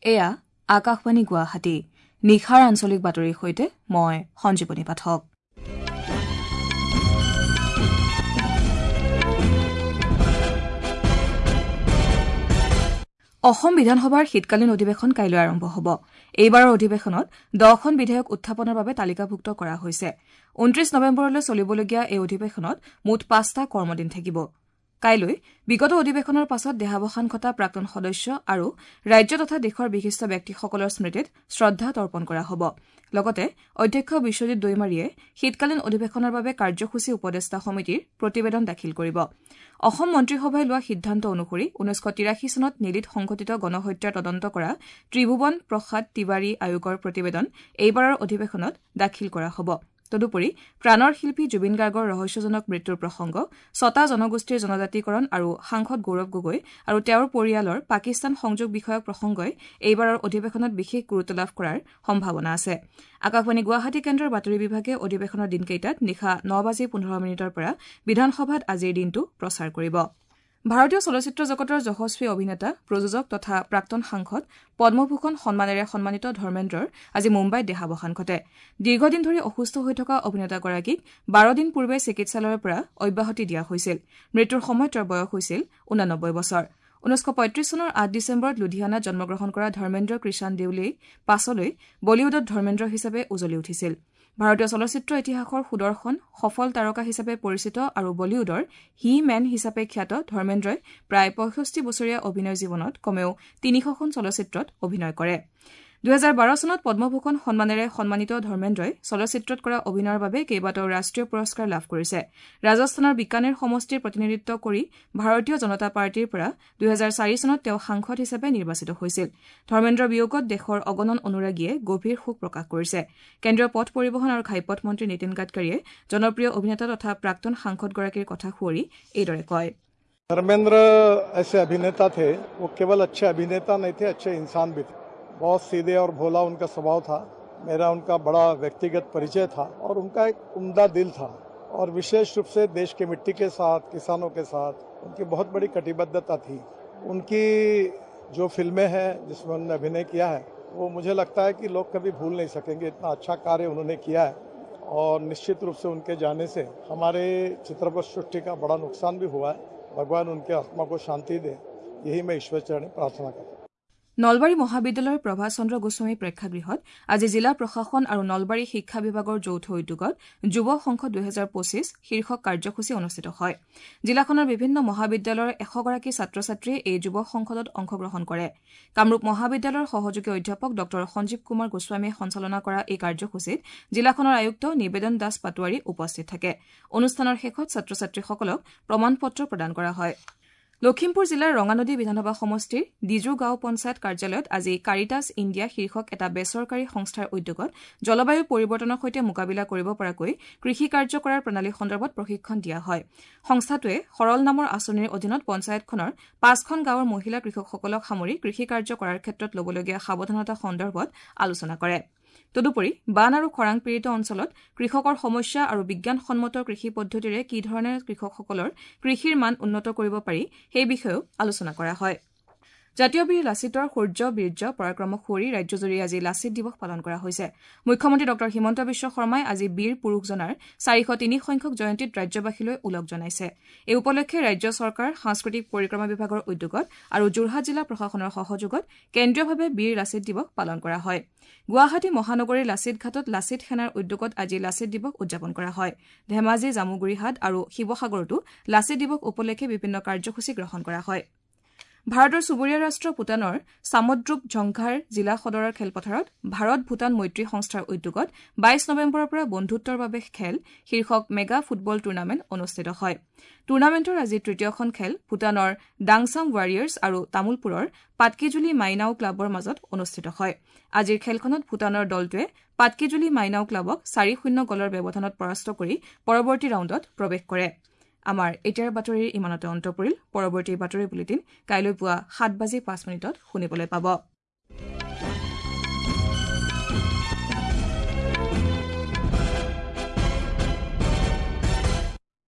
এয়া আকাশবাণী গুৱাহাটী। নিশাৰ আঞ্চলিক বাতৰিৰ সৈতে মই সঞ্জীৱনী পাঠক। অসম বিধানসভাৰ শীতকালীন অধিৱেশন কাইলৈ আৰম্ভ হ'ব। এইবাৰৰ অধিৱেশনত 10খন বিধেয়ক উত্থাপনৰ বাবে তালিকাভুক্ত কৰা হৈছে। 29 নৱেম্বৰলৈ চলিবলগীয়া এই অধিৱেশনত মুঠ 5টা কৰ্মদিন থাকিব। কাইলৈ বিগত অধিৱেশনৰ পাছত দেহাৱসান ঘটা প্ৰাক্তন সদস্য আৰু ৰাজ্য তথা দেশৰ বিশিষ্ট ব্যক্তিসকলৰ স্মৃতিত শ্ৰদ্ধা তৰ্পণ কৰা হ'ব। লগতে অধ্যক্ষ বিশ্বজিৎ দৈমাৰীয়ে শীতকালীন অধিৱেশনৰ বাবে কাৰ্যসূচী উপদেষ্টা সমিতিৰ প্ৰতিবেদন দাখিল কৰিব। অসম মন্ত্ৰীসভাই লোৱা সিদ্ধান্ত অনুসৰি 1983 চনত নেলিত সংঘটিত গণহত্যাৰ তদন্ত কৰা ত্ৰিভুৱন প্ৰসাদ তিৱাৰী আয়োগৰ প্ৰতিবেদন এইবাৰৰ অধিৱেশনত দাখিল কৰা হ'ব। তদুপৰি প্ৰাণৰ শিল্পী জুবিন গাৰ্গৰ ৰহস্যজনক মৃত্যুৰ প্ৰসংগ, 6টা জনগোষ্ঠীৰ জনজাতিকৰণ আৰু সাংসদ গৌৰৱ গগৈ আৰু তেওঁৰ পৰিয়ালৰ পাকিস্তান সংযোগ বিষয়ক প্ৰসংগই এইবাৰৰ অধিৱেশনত বিশেষ গুৰুত্ব লাভ কৰাৰ সম্ভাৱনা আছে। আকাশবাণী গুৱাহাটী কেন্দ্ৰৰ বাতৰি বিভাগে অধিৱেশনৰ দিনকেইটাত নিশা 9:15 পৰা বিধানসভাত আজিৰ দিনটো প্ৰচাৰ কৰিব। ভাৰতীয় চলচ্চিত্ৰ জগতৰ যশস্বী অভিনেতা, প্ৰযোজক তথা প্ৰাক্তন সাংসদ পদ্মভূষণ সন্মানেৰে সন্মানিত ধৰ্মেন্দ্ৰৰ আজি মুম্বাইত দেহাৱসান ঘটে। দীৰ্ঘদিন ধৰি অসুস্থ হৈ থকা অভিনেতাগৰাকীক 12 দিন পূৰ্বে চিকিৎসালয়ৰ পৰা অব্যাহতি দিয়া হৈছিল। মৃত্যুৰ সময়ত তেওঁৰ বয়স হৈছিল 89 বছৰ। 1935 চনৰ 8 ডিচেম্বৰত লুধিয়ানাত জন্মগ্ৰহণ কৰা ধৰ্মেন্দ্ৰ কৃষাণ দেউলেই পাছলৈ বলীউডত ধৰ্মেন্দ্ৰ হিচাপে উজলি উঠিছিল। ভাৰতীয় চলচ্চিত্ৰ ইতিহাসৰ সুদৰ্শন সফল তাৰকা হিচাপে পৰিচিত আৰু বলীউডৰ হি মেন হিচাপে খ্যাত ধৰ্মেন্দ্ৰই প্ৰায় 65 বছৰীয়া অভিনয় জীৱনত কমেও 300খন চলচ্চিত্ৰত অভিনয় কৰে। 2012 চনত পদ্মভূষণ সন্মানেৰে সন্মানিত ধৰ্মেন্দ্ৰই চলচ্চিত্ৰত কৰা অভিনয়ৰ বাবে কেইবাটাও ৰাষ্ট্ৰীয় পুৰস্কাৰ লাভ কৰিছে। ৰাজস্থানৰ বিকানেৰ সমষ্টিৰ প্ৰতিনিধিত্ব কৰি ভাৰতীয় জনতা পাৰ্টীৰ পৰা 2004 চনত তেওঁ সাংসদ হিচাপে নিৰ্বাচিত হৈছিল। ধৰ্মেন্দ্ৰৰ বিয়োগত দেশৰ অগণন অনুৰাগীয়ে গভীৰ শোক প্ৰকাশ কৰিছে। কেন্দ্ৰীয় পথ পৰিবহণ আৰু ঘাইপথ মন্ত্ৰী নীতিন গাডকাৰীয়ে জনপ্ৰিয় অভিনেতা তথা প্ৰাক্তন সাংসদগৰাকীৰ কথা সুঁৱৰি এইদৰে কয়। ধৰ্মেন্দ্ৰ ऐसे अभिनेता थे, वो केवल अच्छे अभिनेता नहीं थे, अच्छे इंसान भी थे। बहुत सीधे और भोला उनका स्वभाव था। मेरा उनका बड़ा व्यक्तिगत परिचय था और उनका एक उम्दा दिल था और विशेष रूप से देश की मिट्टी के साथ, किसानों के साथ उनकी बहुत बड़ी कटिबद्धता थी। उनकी जो फिल्में हैं जिसमें उन्होंने अभिनय किया है, वो मुझे लगता है कि लोग कभी भूल नहीं सकेंगे। इतना अच्छा कार्य उन्होंने किया है और निश्चित रूप से उनके जाने से हमारे चित्रपट सृष्टि का बड़ा नुकसान भी हुआ है। भगवान उनके आत्मा को शांति दे, यही मैं ईश्वर चरण प्रार्थना करता हूँ। নলবাৰী মহাবিদ্যালয়ৰ প্ৰভাত চন্দ্ৰ গোস্বামী প্ৰেক্ষাগৃহত আজি জিলা প্ৰশাসন আৰু নলবাৰী শিক্ষা বিভাগৰ যৌথ উদ্যোগত যুৱ সংসদ 2025 শীৰ্ষক কাৰ্যসূচী অনুষ্ঠিত হয়। জিলাখনৰ বিভিন্ন মহাবিদ্যালয়ৰ 100গৰাকী ছাত্ৰ ছাত্ৰীয়ে এই যুৱ সংসদত অংশগ্ৰহণ কৰে। কামৰূপ মহাবিদ্যালয়ৰ সহযোগী অধ্যাপক ডঃ সঞ্জীৱ কুমাৰ গোস্বামীয়ে সঞ্চালনা কৰা এই কাৰ্যসূচীত জিলাখনৰ আয়ুক্ত নিবেদন দাস পাটোৱাৰী উপস্থিত থাকে। অনুষ্ঠানৰ শেষত ছাত্ৰ ছাত্ৰীসকলক প্ৰমাণ পত্ৰ প্ৰদান কৰা হয়। লখিমপুৰ জিলাৰ ৰঙানদী বিধানসভা সমষ্টিৰ ডিজু গাঁও পঞ্চায়ত কাৰ্যালয়ত আজি কাৰিটাছ ইণ্ডিয়া শীৰ্ষক এটা বেচৰকাৰী সংস্থাৰ উদ্যোগত জলবায়ু পৰিৱৰ্তনৰ সৈতে মোকাবিলা কৰিব পৰাকৈ কৃষি কাৰ্য কৰাৰ প্ৰণালী সন্দৰ্ভত প্ৰশিক্ষণ দিয়া হয়। সংস্থাটোৱে সৰল নামৰ আঁচনিৰ অধীনত পঞ্চায়তখনৰ 5খন গাঁৱৰ মহিলা কৃষকসকলক সামৰি কৃষি কাৰ্য কৰাৰ ক্ষেত্ৰত ল'বলগীয়া সাৱধানতা সন্দৰ্ভত আলোচনা কৰে। তদুপৰি বান আৰু খৰাং পীড়িত অঞ্চলত কৃষকৰ সমস্যা আৰু বিজ্ঞানসন্মত কৃষি পদ্ধতিৰে কি ধৰণে কৃষকসকলৰ কৃষিৰ মান উন্নত কৰিব পাৰি সেই বিষয়েও আলোচনা কৰা হয়। জাতীয় বীৰ লাচিতৰ শৌৰ্য বীৰ্য পৰাক্ৰমক সুঁৱৰি ৰাজ্যজুৰি আজি লাচিত দিৱস পালন কৰা হৈছে। মুখ্যমন্ত্ৰী ডঃ হিমন্ত বিশ্ব শৰ্মাই আজি বীৰ পুৰুষজনাৰ 403 সংখ্যক জয়ন্তীত ৰাজ্যবাসীলৈ ওলগ জনাইছে। এই উপলক্ষে ৰাজ্য চৰকাৰ, সাংস্কৃতিক পৰিক্ৰমা বিভাগৰ উদ্যোগত আৰু যোৰহাট জিলা প্ৰশাসনৰ সহযোগত কেন্দ্ৰীয়ভাৱে বীৰ লাচিত দিৱস পালন কৰা হয়। গুৱাহাটী মহানগৰীৰ লাচিত ঘাটত লাচিত সেনাৰ উদ্যোগত আজি লাচিত দিৱস উদযাপন কৰা হয়। ধেমাজি, জামুগুৰিহাট আৰু শিৱসাগৰতো লাচিত দিৱস উপলক্ষে বিভিন্ন কাৰ্যসূচী গ্ৰহণ কৰা হয়। ভাৰতৰ চুবুৰীয়া ৰাষ্ট্ৰ ভূটানৰ চামদ্ৰুপ ঝংঘাৰ জিলা সদৰৰ খেলপথাৰত ভাৰত ভূটান মৈত্ৰী সংস্থাৰ উদ্যোগত 22 নৱেম্বৰৰ পৰা বন্ধুত্বৰ বাবে খেল শীৰ্ষক মেগা ফুটবল টুৰ্ণামেণ্ট অনুষ্ঠিত হয়। টুৰ্ণামেণ্টৰ আজি তৃতীয়খন খেল ভূটানৰ ডাংচাম ৱাৰিয়াৰ্ছ আৰু তামুলপুৰৰ পাটকিজুলি মাইনাও ক্লাবৰ মাজত অনুষ্ঠিত হয়। আজিৰ খেলখনত ভূটানৰ দলটোৱে পাটকিজুলি মাইনাও ক্লাবক 4-0 গ'লৰ ব্যৱধানত পৰাস্ত কৰি পৰৱৰ্তী ৰাউণ্ডত প্ৰৱেশ কৰে। আমাৰ এতিয়াৰ বাতৰিৰ ইমানতে অন্ত পৰিল। পৰৱৰ্তী বাতৰি বুলেটিন কাইলৈ পুৱা 7:05 শুনিবলৈ পাব।